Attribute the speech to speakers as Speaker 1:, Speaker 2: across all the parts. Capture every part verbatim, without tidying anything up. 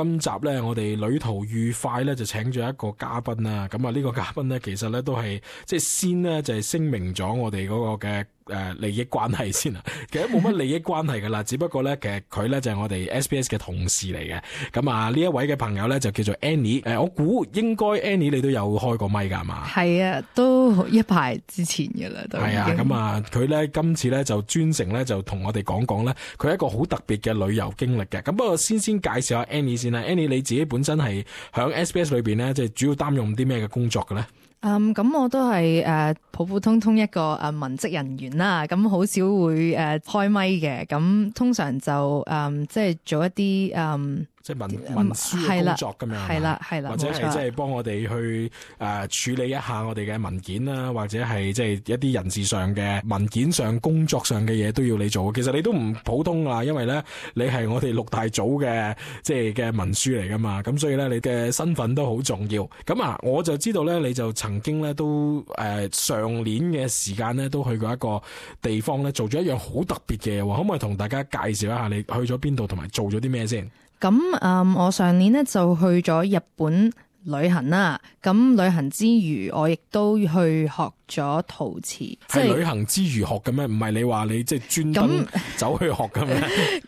Speaker 1: 今集咧，我哋旅途愉快咧就請咗一個嘉賓啦。咁啊，呢個嘉賓咧，其實咧都係即係先咧就係聲明咗我哋嗰個嘅誒利益關係先啊。其實冇乜利益關係噶啦，只不過咧其實佢咧就係我哋 S B S 嘅同事嚟嘅。咁啊，呢一位嘅朋友咧就叫做 Annie。誒，我估應該 Annie 你都有開過咪噶係嘛？
Speaker 2: 係啊，都一排之前噶啦，都
Speaker 1: 係啊。咁啊，佢咧今次咧就專程咧就同我哋講講咧，佢係一個好特別嘅旅遊經歷嘅。咁不過先先介紹下 Annie 先啦。Annie 你自己本身係響 S B S 裏邊咧，即係主要擔任啲咩嘅工作嘅咧？
Speaker 2: 嗯，咁我都係誒、呃、普普通通一個誒、呃、文職人員啦，咁好少會誒、呃、開咪嘅，咁通常就誒、呃、即係做一啲誒。呃
Speaker 1: 即係文文書嘅工作咁樣，
Speaker 2: 係啦係啦，
Speaker 1: 或者係即係幫我哋去誒、呃、處理一下我哋嘅文件啦，或者係即係一啲人事上嘅文件上、工作上嘅嘢都要你做。其實你都唔普通啊，因為咧你係我哋六大組嘅即係嘅文書嚟噶嘛，咁所以咧你嘅身份都好重要。咁啊，我就知道咧，你就曾經咧都誒、呃、上年嘅時間咧都去過一個地方咧，做咗一樣好特別嘅嘢，可唔可以同大家介紹一下你去咗邊度同埋做咗啲咩先？
Speaker 2: 咁嗯，我上年咧就去咗日本旅行啦。咁旅行之餘，我亦都去學咗陶瓷。
Speaker 1: 係旅行之餘學嘅咩？唔係你話你即係專登走去學嘅咩？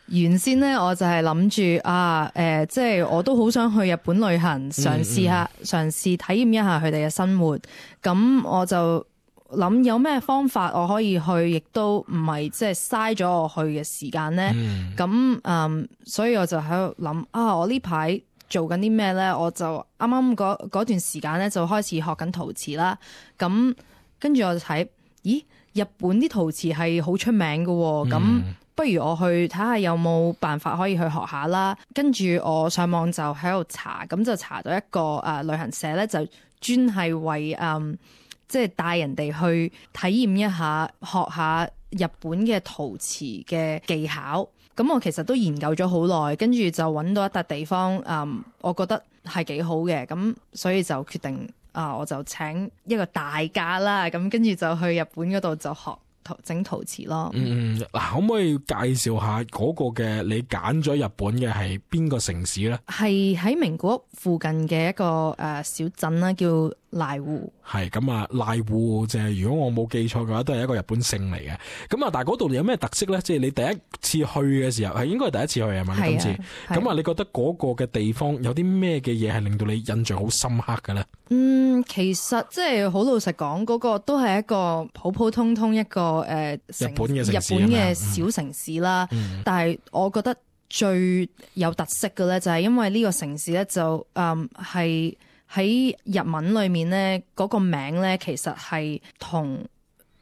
Speaker 2: 原先咧我就係諗住啊，誒、呃，即係我都好想去日本旅行，嘗試下，嘗、嗯、試、嗯、體驗一下佢哋嘅生活。咁我就諗有咩方法我可以去，亦都唔係即係嘥咗我去嘅時間咧。咁嗯，嗯，所以我就喺度諗啊，我呢排做緊啲咩咧？我就啱啱嗰嗰段時間咧就開始學緊陶瓷啦。咁跟住我就睇，咦，日本啲陶瓷係好出名嘅喎。咁、嗯、不如我去睇下有冇辦法可以去學下啦。跟住我上網就喺度查，咁就查到一個誒、呃、旅行社咧，就專係為誒。嗯即係帶人哋去體驗一下，學下日本嘅陶瓷嘅技巧。咁我其實都研究咗好耐，跟住就揾到一笪地方，嗯，我覺得係幾好嘅，咁所以就決定啊，我就請一個大假啦，咁跟住就去日本嗰度就學整陶瓷咯。嗯，
Speaker 1: 嗱，可唔可以介紹下嗰個嘅你揀咗日本嘅係邊個城市咧？
Speaker 2: 係喺名古屋附近嘅一個誒、呃、小鎮啦，叫瀨戶。
Speaker 1: 係咁啊，瀨戶就係如果我冇記錯嘅話，都係一個日本姓嚟嘅。咁啊，但係嗰度有咩特色咧？即係你第一次去嘅時候，係應該係第一次去係嘛？今次咁啊，你覺得嗰個嘅地方有啲咩嘅嘢係令到你印象好深刻嘅咧？
Speaker 2: 嗯，其實即係好老實講，嗰、嗰個都係一個普普通通一個誒、呃、
Speaker 1: 日本嘅城市，
Speaker 2: 日本嘅小城市啦。嗯、但係我覺得最有特色嘅咧，就係因為呢個城市咧就誒係。嗯喺日文裏面咧，嗰、那個名咧其實係同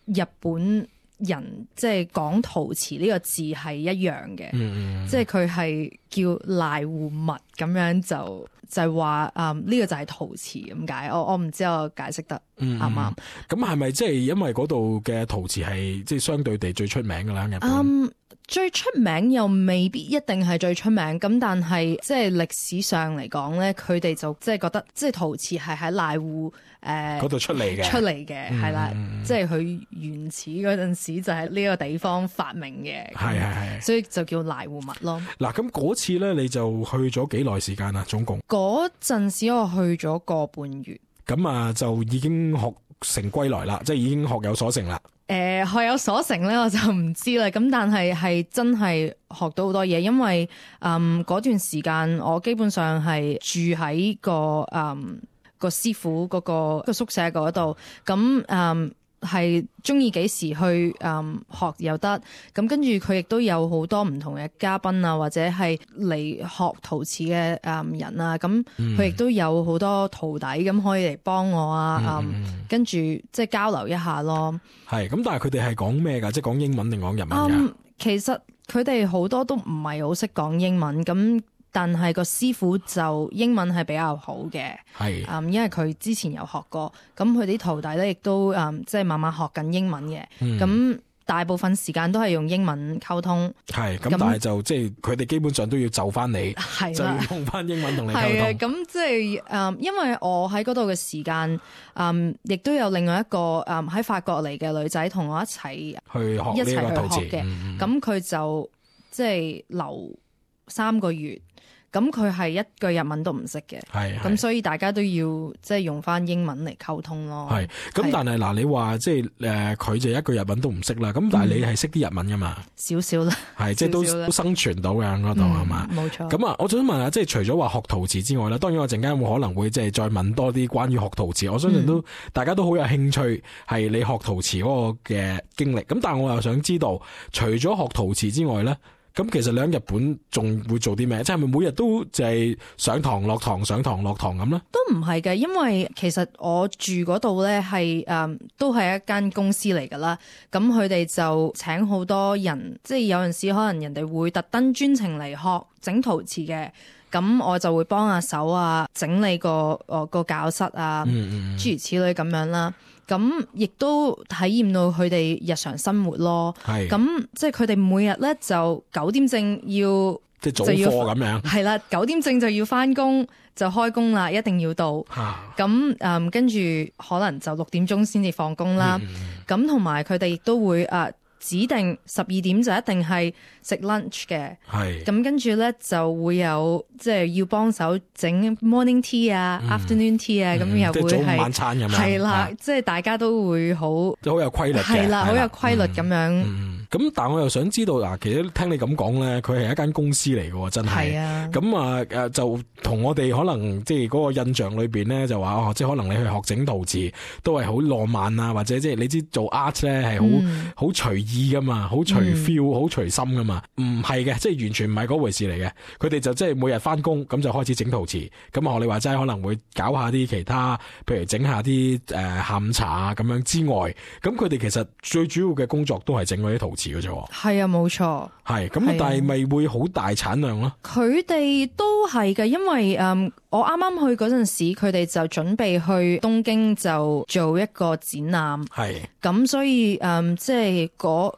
Speaker 2: 日本人即係講陶瓷呢個字係一樣嘅，嗯、即係佢係叫瀨戶物咁樣就就係話誒呢個就係陶瓷咁解。我我唔知我解釋得啱唔啱？
Speaker 1: 咁係咪即係因為嗰度嘅陶瓷係即係相對地最出名㗎啦？日本？
Speaker 2: 嗯最出名又未必一定係最出名，咁但係即係歷史上嚟講咧，佢哋就即係覺得即係陶瓷係喺瀨戶誒
Speaker 1: 嗰度出嚟嘅，
Speaker 2: 出嚟嘅係啦，即係佢原始嗰陣時就喺呢個地方發明嘅，
Speaker 1: 係係係，
Speaker 2: 所以就叫瀨戶物咯。
Speaker 1: 嗱，咁嗰次咧你就去咗幾耐時間啊？總共
Speaker 2: 嗰陣時我去咗個半月，
Speaker 1: 咁啊就已經學成歸來啦，即係已經學有所成啦。
Speaker 2: 誒、呃，學有所成咧，我就唔知啦。咁但係係真係學到好多嘢，因為嗯嗰段時間我基本上係住喺個嗯個師傅嗰、嗰個個宿舍嗰度，咁嗯係中意幾時去嗯學又得。咁跟住佢亦都有好多唔同嘅嘉賓啊，或者係嚟學陶瓷嘅誒人啊，咁佢亦都有好多徒弟咁可以嚟幫我啊，嗯，嗯跟住即係交流一下咯。
Speaker 1: 係咁，但係佢哋係講咩㗎？即係講英文定講日文㗎？
Speaker 2: 嗯，其實佢哋好多都唔係好識講英文，咁但係個師傅就英文係比較好嘅。係，嗯，因為佢之前有學過，咁佢啲徒弟咧亦都嗯即係慢慢學緊英文嘅，咁、嗯。大部分時間都係用英文溝通，係咁，但係就即係佢哋基本上都要就翻你，就要用翻英文同你溝通。係咁即係誒，因為我喺嗰度嘅時間，嗯，亦都有另外一個誒喺法國嚟嘅女仔同我一齊去學一齊去學嘅。咁佢、嗯、就即係留三個月，咁佢係一句日文都唔識嘅，
Speaker 1: 係
Speaker 2: 咁所以大家都要即係用翻英文嚟溝通咯。
Speaker 1: 係咁，但係嗱，你話即係誒，佢、呃、就一句日文都唔識啦。咁但係你係識啲日文噶嘛？
Speaker 2: 少少啦，
Speaker 1: 係即係都都生存到嘅嗰度係嘛？
Speaker 2: 冇錯。
Speaker 1: 咁啊，我想問下，即係除咗話學陶瓷之外咧，當然我陣間會可能會即係再問多啲關於學陶瓷。我相信都、嗯、大家都好有興趣，係你學陶瓷嗰個嘅經歷。咁但係我又想知道，除咗學陶瓷之外咧。咁其實你喺日本仲會做啲咩？即係咪每日都就係上堂落堂上堂落堂咁咧？
Speaker 2: 都唔係嘅，因為其實我住嗰度咧係誒都係一間公司嚟噶啦。咁佢哋就請好多人，即係有陣時可能人哋會特登專程嚟學整陶瓷嘅。咁我就會幫下手啊，整理個誒個教室啊，嗯嗯諸如此類咁樣啦。咁亦都體驗到佢哋日常生活咯。係咁，即係佢哋每日咧就九點正要
Speaker 1: 即係早課咁樣。係
Speaker 2: 啦，九點正就要翻工，就開工啦，一定要到。咁誒，跟住可能就六點鐘先至放工啦。咁同埋佢哋亦都會誒。呃指定十二點就一定係食 lunch 嘅，係咁跟住咧就會有即係要幫手整 morning tea 啊、嗯、afternoon tea 啊，咁、嗯、又會係
Speaker 1: 早午晚餐咁樣，
Speaker 2: 係啦，即係大家都會好，
Speaker 1: 即係好有規律嘅，
Speaker 2: 係啦，好有規律咁樣。咁、
Speaker 1: 嗯嗯、但係我又想知道嗱，其實聽你咁講咧，佢係一間公司嚟嘅，真係。係啊。咁啊誒，就同我哋可能即係嗰個印象裏邊咧，就話哦，即係可能你去學整陶瓷都係好浪漫啊，或者即係你知做 art 咧係好好隨意噶嘛，好隨 feel，好隨心噶嘛，唔係嘅，即係完全唔係嗰回事嚟嘅。佢哋就即係每日翻工咁就開始整陶瓷，咁啊學你話齋可能會搞下啲其他，譬如整下啲誒下午茶啊咁樣之外，咁佢哋其實最主要嘅工作都係整嗰啲陶瓷嘅啫。
Speaker 2: 係啊，冇錯。係
Speaker 1: 咁，但係咪會好大產量咯？
Speaker 2: 佢哋都係嘅，因為誒、嗯、我啱啱去嗰陣時，佢哋就準備去東京就做一個展覽。係咁，所以誒、嗯、即係嗰。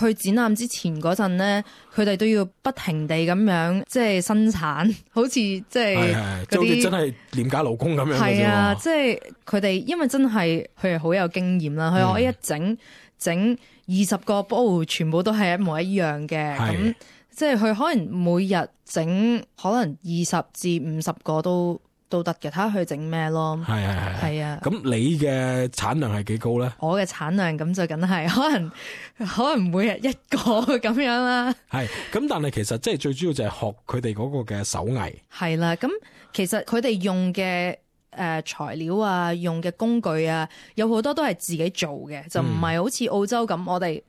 Speaker 2: 去展覽之前嗰陣咧，佢哋都要不停地咁樣即係生產，好似即係嗰啲真係廉價勞工咁樣。係啊，即係佢哋因為真係佢係好有經驗啦，佢、嗯、可以一整整二十個煲，全部都係一模一樣嘅。咁即係佢可能每日整可能二十至五十個都。都得嘅，睇下佢整咩咯。係係係係啊！咁
Speaker 1: 你嘅產量係幾高咧？
Speaker 2: 我嘅產量咁就梗係可能可能每日一個咁樣啦。係
Speaker 1: 咁，但係其實即係最主要就係學佢哋嗰個嘅手藝。
Speaker 2: 係啦，咁其實佢哋用嘅誒材料啊，用嘅工具啊，有好多都係自己做嘅，就唔係好似澳洲咁，嗯、我哋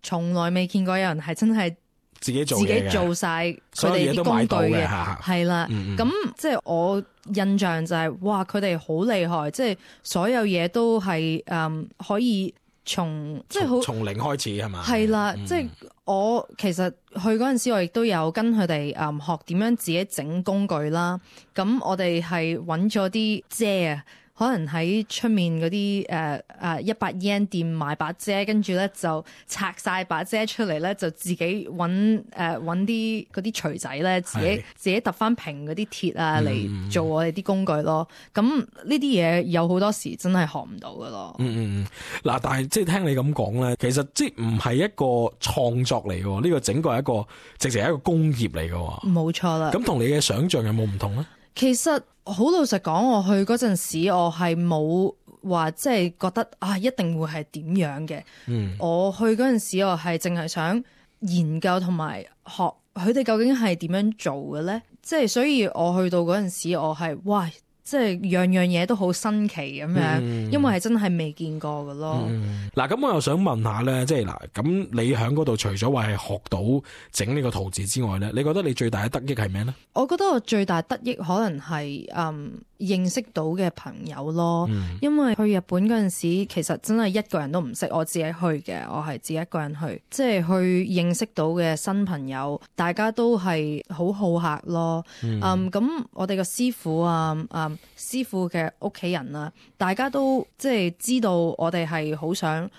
Speaker 2: 從來未見過有人係真係。
Speaker 1: 自己做
Speaker 2: 自己做晒佢哋啲工具嘅，係啦。咁即係我印象就係、是，哇！佢哋好厲害，即係所有嘢都係誒、嗯、可以從即係好
Speaker 1: 從零開始係嘛？
Speaker 2: 係啦，嗯、即係我其實去嗰陣時，我亦都有跟佢哋誒學點樣自己整工具啦。咁我哋係揾咗啲遮啊。可能喺出面嗰啲誒誒一百 yen 店買把遮，跟住咧就拆晒把遮出嚟咧，就自己揾誒揾啲嗰啲錘仔咧，自己自己揼翻平嗰啲鐵啊嚟做我哋啲工具咯。咁呢啲嘢有好多時真係學唔到噶咯。嗯嗯嗯。
Speaker 1: 嗱，但係即係聽你咁講咧，其實即係唔係一個創作嚟嘅，呢個整個係一個直情係一個工業嚟嘅。
Speaker 2: 冇錯啦。
Speaker 1: 咁同你嘅想象有冇唔同咧？
Speaker 2: 其實好老實講，我去嗰陣時，我係冇話即係覺得啊，一定會係點樣嘅。嗯，我去嗰陣時，我係淨係想研究同埋學佢哋究竟係點樣做嘅咧。即係所以我去到嗰陣時，我係哇！即係樣樣嘢都好新奇咁樣，嗯、因為係真係未見過㗎咯。嗱、
Speaker 1: 嗯，咁我又想問下咧，即係嗱，咁你喺嗰度除咗話係學到整呢個陶瓷之外咧，你覺得你最大嘅得益係咩咧？
Speaker 2: 我覺得我最大得益可能係嗯認識到嘅朋友咯，嗯、因為去日本嗰陣時，其實真係一個人都唔識，我自己去嘅，我係自己一個人去，即係去認識到嘅新朋友，大家都係好好客咯。嗯，咁、嗯、我哋個師傅啊，嗯。師傅嘅屋企人啊，大家都即係知道我哋係好想，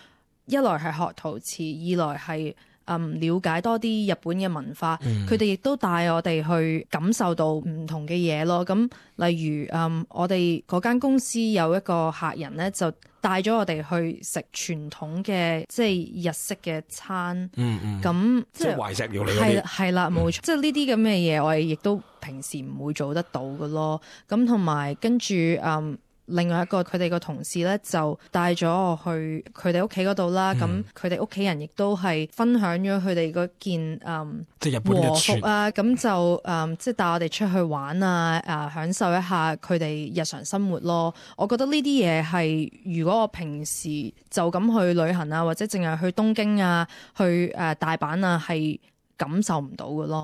Speaker 2: 一來係學陶瓷，二來係嗯了解多啲日本嘅文化，
Speaker 1: 嗯
Speaker 2: 佢哋亦都帶我哋去感受到唔同嘅嘢咯。咁例如嗯我哋嗰間公司有一個客人咧，就帶咗我哋去食傳統嘅即係日式嘅餐，
Speaker 1: 嗯嗯，
Speaker 2: 咁
Speaker 1: 即係懷石料理嗰
Speaker 2: 係
Speaker 1: 啲，
Speaker 2: 係啦，冇錯，即係呢啲咁嘅嘢，我哋亦都平時唔會做得到嘅咯。咁同埋跟住嗯。另外一個佢哋個同事咧就帶咗我去佢哋屋企嗰度啦，咁佢哋屋企人亦都係分享咗佢哋嗰件嗯
Speaker 1: 即係日本
Speaker 2: 和
Speaker 1: 嘅傳
Speaker 2: 服啊，咁就嗯即係帶我哋出去玩啊，啊享受一下佢哋日常生活咯。我覺得呢啲嘢係如果我平時就咁去旅行啊，或者淨係去東京啊、去誒大阪啊，係感受唔到嘅咯。